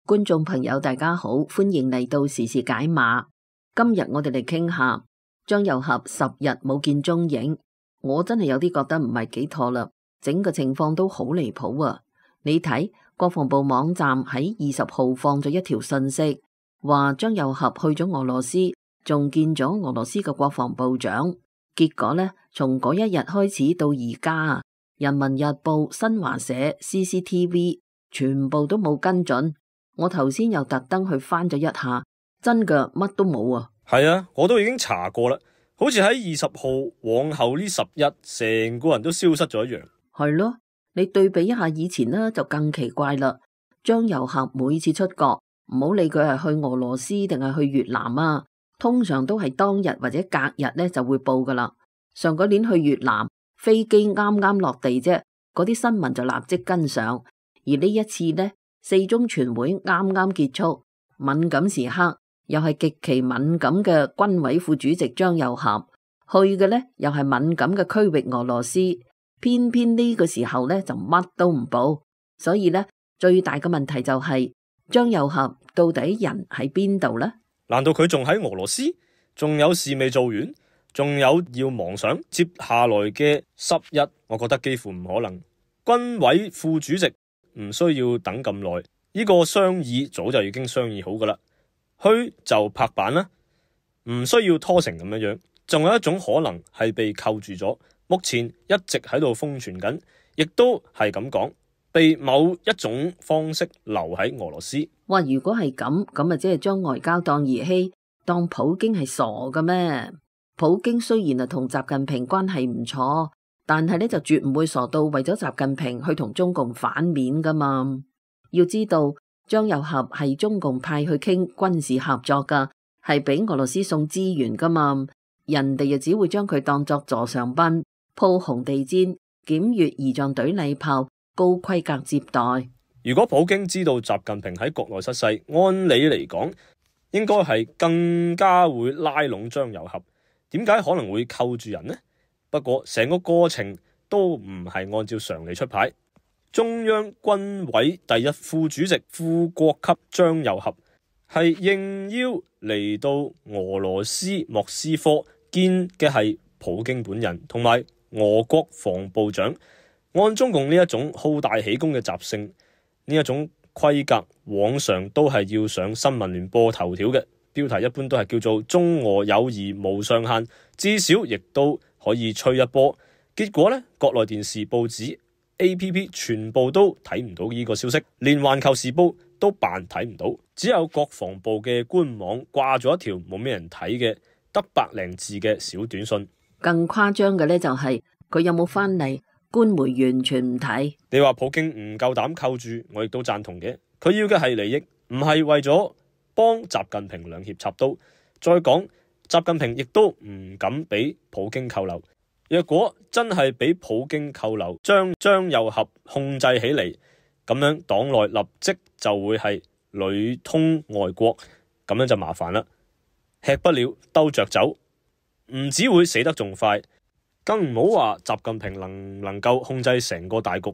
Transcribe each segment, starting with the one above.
觀眾朋友大家好，歡迎嚟到時事解碼。今日我哋嚟傾下張又俠10日冇見蹤影，我真係有啲覺得唔係幾妥啦，整個情況都好離譜啊！你睇國防部網站喺20號放咗一條信息，話張又俠去咗俄羅斯，仲見咗俄羅斯嘅國防部長。結果呢，從嗰一日開始到而家，人民日報、新華社、CCTV 全部都冇跟進。我頭先又特登去翻咗一下，真嘅乜都冇啊！係啊，我都已經查過啦，好似喺20號往後呢10日，成個人都消失咗一樣。係咯，你對比一下以前呢，就更奇怪啦。張又俠每次出國，唔好理佢係去俄羅斯定係去越南啊，通常都係當日或者隔日呢就會報噶啦。上嗰年去越南，飛機啱啱落地啫，嗰啲新聞就立即跟上。而呢一次呢，四中全會啱啱結束，敏感時刻又係極其敏感嘅軍委副主席張又俠去嘅呢，又係敏感嘅區域俄羅斯，偏偏呢個時候呢就乜都唔報，所以呢，最大嘅問題就係張又俠到底人喺邊度呢？難道佢仲喺俄羅斯？仲有事未做完？仲有要忙上接下來嘅10日？我覺得幾乎唔可能。軍委副主席唔需要等咁耐，呢個商議早就已經商議好噶啦，去就拍板啦，唔需要拖成咁樣樣。仲有一種可能係被扣住咗，目前一直喺度瘋傳緊，亦都係咁講，被某一種方式留喺俄羅斯。哇！如果係咁，咁啊即係將外交當兒戲，當普京係傻嘅咩？普京雖然係同習近平關係唔錯，但係呢就絕唔會傻到為咗習近平去同中共反面噶嘛。要知道張又俠係中共派去傾軍事合作噶，係俾俄羅斯送資源噶嘛，人哋又只會將佢當作座上賓，鋪紅地毯，檢閱儀仗隊禮炮，高規格接待。如果普京知道習近平喺國內失勢，按理嚟講應該係更加會拉攏張又俠。點解可能會扣住人呢？不過成個過程都唔係按照常理出牌。中央軍委第一副主席副國級張又俠係應邀嚟到俄羅斯莫斯科見嘅係普京本人同埋俄國防部長。按中共呢一種好大喜功嘅習性，呢一種規格往常都係要上新聞聯播頭條嘅。標題一般都係叫做中俄友誼無上限，至少亦都可以吹一波。結果呢，國內電視報紙 APP 全部都睇唔到呢個消息，連環球時報都扮睇唔到，只有國防部嘅官網掛咗一條冇咩人睇嘅得100零字嘅小短信。更誇張嘅呢，就係佢有冇翻嚟，官媒完全唔睇。你話普京唔夠膽扣住，我亦都贊同嘅。佢要嘅係利益，唔係為咗幫習近平兩肋插刀。再講，習近平亦都唔敢俾普京扣留。若果真係俾普京扣留，將張又俠控制起嚟，咁樣黨內立即就會係裏通外國，咁樣就麻煩啦。吃不了兜着走，唔只會死得仲快，更唔好話習近平能唔能夠控制成個大局，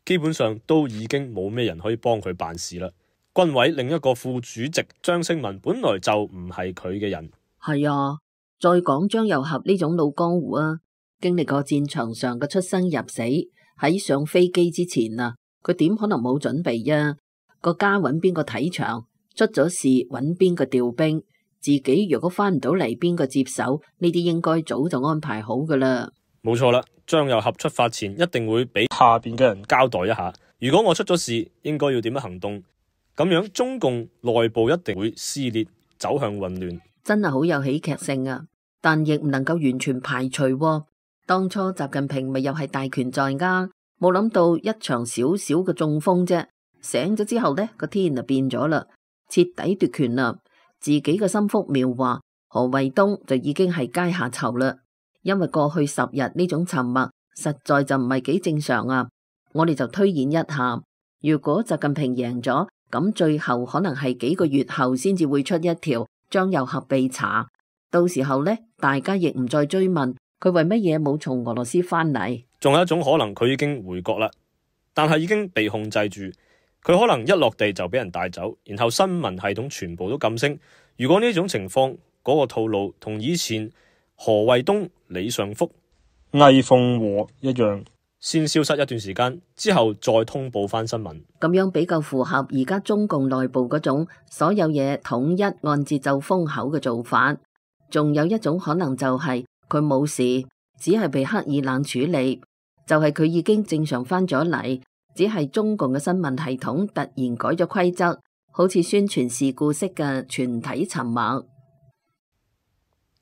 基本上都已經冇咩人可以幫佢辦事啦。軍委另一個副主席張勝文本來就唔係佢嘅人。係啊，再講張又俠呢種老江湖啊，經歷過戰場上嘅出生入死，喺上飛機之前啊，佢點可能冇準備啊？個家揾邊個睇場，出咗事揾邊個調兵，自己如果翻唔到嚟，邊個接手？呢啲應該早就安排好噶啦。冇錯啦，張又俠出發前一定會俾下邊嘅人交代一下，如果我出咗事，應該要點樣行動？咁樣中共內部一定會撕裂，走向混亂，真係好有喜劇性啊！但亦唔能夠完全排除喎。當初習近平咪又係大權在握，冇諗到一場小小嘅中風啫，醒咗之後呢，個天就變咗啦，徹底奪權啦。自己嘅心腹描畫何衛東就已經係階下囚啦，因為過去10日呢種沉默實在就唔係幾正常啊。我哋就推演一下，如果習近平贏咗，咁最後可能係幾個月後先至會出一條張又俠被查，到時候呢，大家亦唔再追問佢為乜嘢冇從俄羅斯翻嚟。仲有一種可能佢已經回國啦，但係已經被控制住，佢可能一落地就俾人帶走，然後新聞系統全部都噤聲。如果呢種情況，嗰個套路同以前何衛東、李尚福、魏鳳和一樣，先消失一段時間之後再通報翻新聞，咁樣比較符合而家中共內部嗰種所有嘢統一按節奏封口嘅做法。仲有一種可能就係佢冇事，只係被刻意冷處理，就係佢已經正常翻咗嚟，只係中共嘅新聞系統突然改咗規則，好似宣傳事故式嘅全體沉默。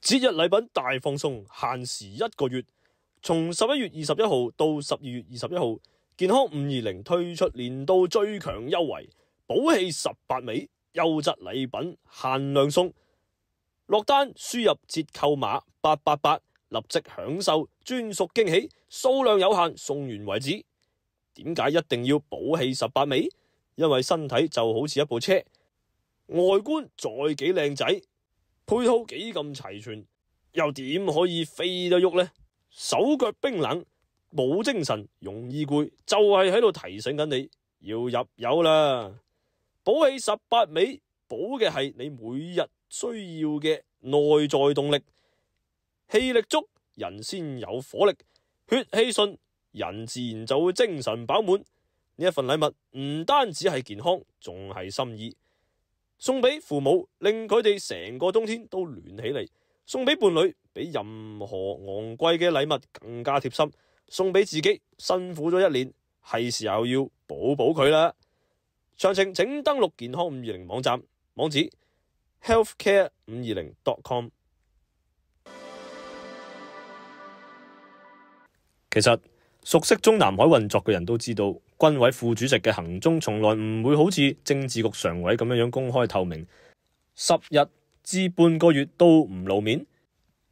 節日禮品大放送，限時1個月，從11月21號到12月21號，健康520推出年度最強優惠，寶氣18味，優質禮品限量送。落單輸入折扣碼888，立即享受專屬驚喜，數量有限，送完為止。點解一定要寶氣18味？因為身體就好似一部車，外觀再幾靚仔，配套幾咁齊全，又點可以飛得喐呢？手腳冰冷，冇精神，容易攰，就係喺度提醒緊你要入油啦。寶氣18味，補嘅係你每日需要嘅內在動力，氣力足，人先有火力，血氣順，人自然就會精神飽滿。呢一份禮物唔單止係健康，仲係心意。送俾父母，令佢哋成個冬天都暖起嚟；送俾伴侶，比任何昂貴嘅禮物更加貼心；送俾自己，辛苦咗一年，係時候要補補佢啦。詳情請登錄健康520網站，網址 healthcare520.com。其實熟悉中南海運作嘅人都知道，軍委副主席嘅行蹤從來唔會好似政治局常委咁樣公開透明，10日至半個月都唔露面。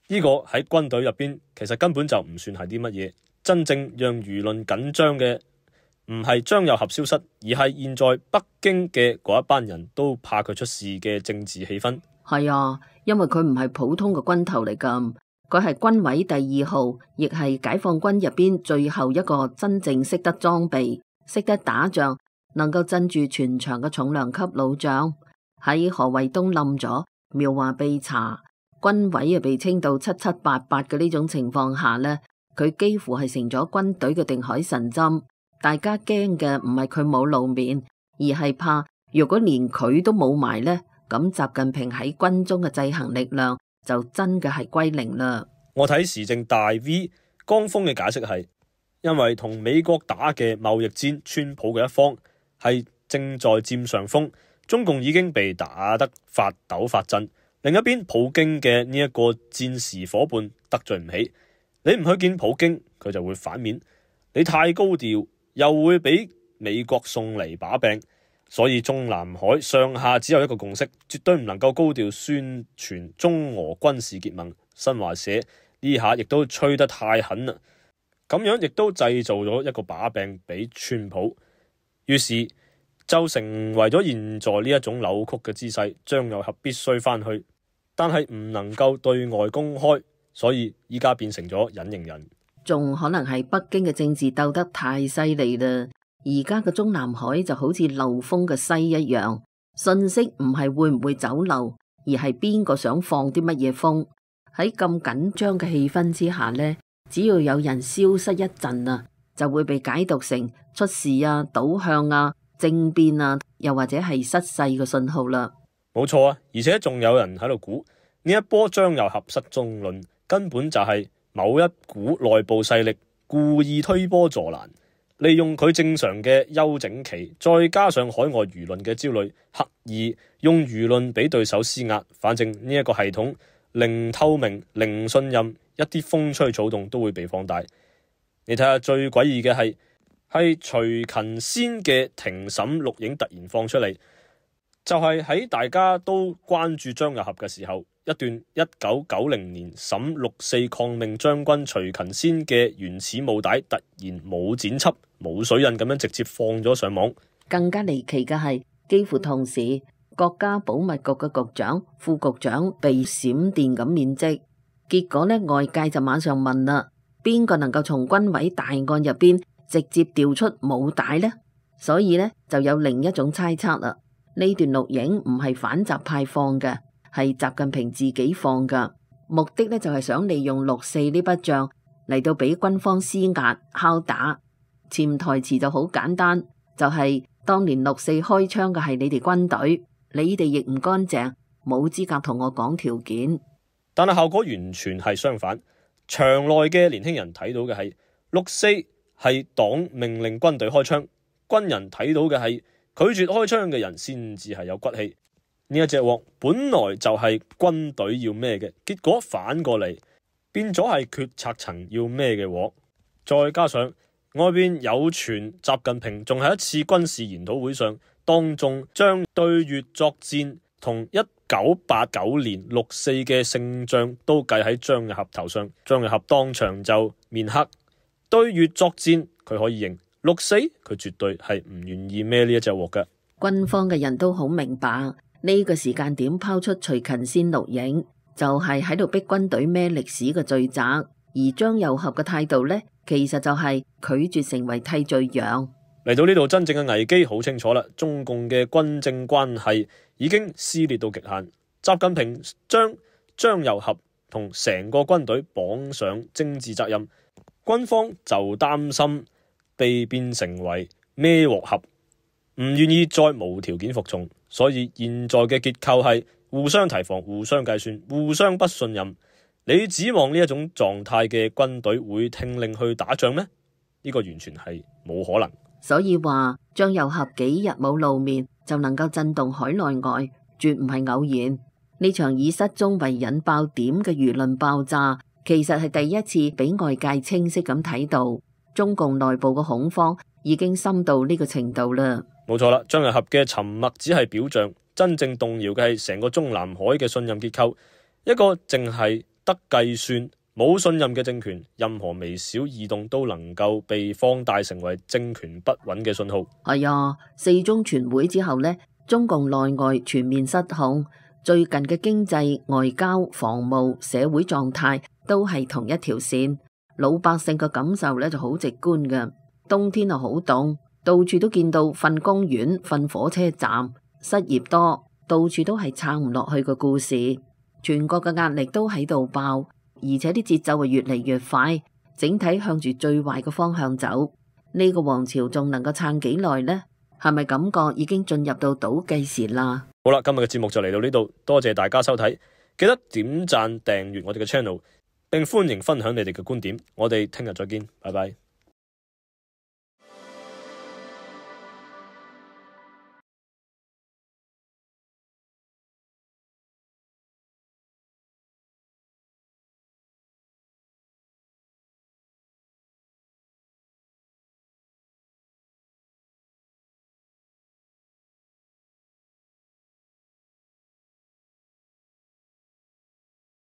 呢個喺軍隊入邊其實根本就唔算係啲乜嘢。真正讓輿論緊張嘅唔係張又俠消失，而係現在北京嘅嗰一班人都怕佢出事嘅政治氣氛。係啊，因為佢唔係普通嘅軍頭嚟㗎。佢係軍委第2號，亦係解放軍入邊最後一個真正識得裝備、識得打仗、能夠鎮住全場嘅重量級老將。喺何衛東冧咗、苗華被查、軍委被清到七七八八嘅呢種情況下呢，佢幾乎係成咗軍隊嘅定海神針。大家驚嘅唔係佢冇露面，而係怕如果連佢都冇埋呢，咁習近平喺軍中嘅制衡力量就真嘅係歸零啦。我睇時政大 V 江峰嘅解釋係，因為同美國打嘅貿易戰，川普嘅一方係正在佔上風，中共已經被打得發抖發震。另一邊普京嘅呢一個戰時伙伴得罪唔起，你唔去見普京，佢就會反面；你太高調，又會俾美國送嚟把柄。所以中南海上下只有一個共識，絕對唔能夠高調宣傳中俄軍事結盟。新華社呢下亦都吹得太狠啦，咁樣亦都製造咗一個把柄俾川普，於是就成為咗現在呢一種扭曲嘅姿勢。張又俠必須翻去，但係唔能夠對外公開，所以依家變成咗隱形人。仲可能係北京嘅政治鬥得太犀利啦。而家嘅中南海就好似漏風嘅西一樣，信息唔係會唔會走漏，而係邊個想放啲乜嘢風。喺咁緊張嘅氣氛之下呢，只要有人消失一陣啊，就會被解讀成出事啊、倒向啊、政變啊，又或者係失勢嘅信號啦。冇錯啊，而且仲有人喺度估呢一波張又俠失蹤論根本就係某一股內部勢力故意推波助瀾，利用佢正常嘅休整期，再加上海外輿論嘅焦慮，刻意用輿論俾對手施壓。反正呢一個系統零透明、零信任，一啲風吹草動都會被放大。你睇下最詭異嘅係徐勤先嘅庭審錄影突然放出嚟，就係喺大家都關注張又俠嘅時候，一段1990年審6.4抗命將軍徐勤先嘅原始母帶突然冇剪輯、冇水印咁樣直接放咗上網。更加離奇嘅係，幾乎同時國家保密局嘅局長、副局長被閃電咁免職。結果呢，外界就馬上問啦：邊個能夠從軍委大案入邊直接調出武帶呢？所以呢，就有另一種猜測啦。呢段錄影唔係反習派放嘅，係習近平自己放㗎，目的呢，就係想利用6.4呢筆賬嚟到俾軍方施壓敲打。潛台詞就好簡單，就係當年6.4開槍嘅係你哋軍隊，你哋亦唔乾淨，冇資格同我講條件。但係效果完全係相反，場內嘅年輕人睇到嘅係6.4係黨命令軍隊開槍，軍人睇到嘅係拒絕開槍嘅人先至係有骨氣。呢一隻鑊本來就係軍隊要孭嘅，結果反過嚟變咗係決策層要孭嘅鑊。再加上外邊有傳習近平仲喺一次軍事研討會上當眾將對越作戰同1989年6.4嘅勝仗都計喺張又俠頭上，張又俠當場就面黑。對越作戰佢可以認，6.4佢絕對係唔願意孭呢一隻鑊嘅。軍方嘅人都好明白呢個時間點拋出徐勤先錄影，就係喺度逼軍隊孭歷史嘅罪責。而張又俠嘅態度呢，其實就係拒絕成為替罪羊。嚟到呢度，真正嘅危機好清楚啦，中共嘅軍政關係已經撕裂到極限。習近平將張又俠同成個軍隊綁上政治責任，軍方就擔心被變成為孭鑊俠，唔願意再無條件服從。所以現在嘅結構係互相提防、互相計算、互相不信任。你指望呢一種狀態嘅軍隊會聽令去打仗咩？呢個完全係冇可能。所以話張又俠幾日冇露面就能夠震動海內外，絕唔係偶然。呢場以失蹤為引爆點嘅輿論爆炸，其實係第一次俾外界清晰咁睇到中共內部嘅恐慌已經深到呢個程度啦。冇錯啦，張又俠嘅沉默只係表象，真正動搖嘅係成個中南海嘅信任結構。一個淨係得計算冇信任嘅政權，任何微小異動都能夠被放大成為政權不穩嘅信號。係啊，4中全會之後呢，中共內外全面失控，最近嘅經濟、外交、防務、社會狀態都係同一條線，老百姓嘅感受呢就好直觀嘅。冬天啊好凍，到處都見到瞓公園、瞓火車站，失業多，到處都係撐唔落去嘅故事。全國嘅壓力都喺度爆，而且啲節奏係越嚟越快，整體向住最壞嘅方向走。呢個王朝仲能夠撐幾耐呢？係咪感覺已經進入到倒計時啦？好啦，今日嘅節目就嚟到呢度，多謝大家收睇，記得點讚訂閱我哋嘅 channel，並歡迎分享你哋嘅觀點。我哋聽日再見，拜拜。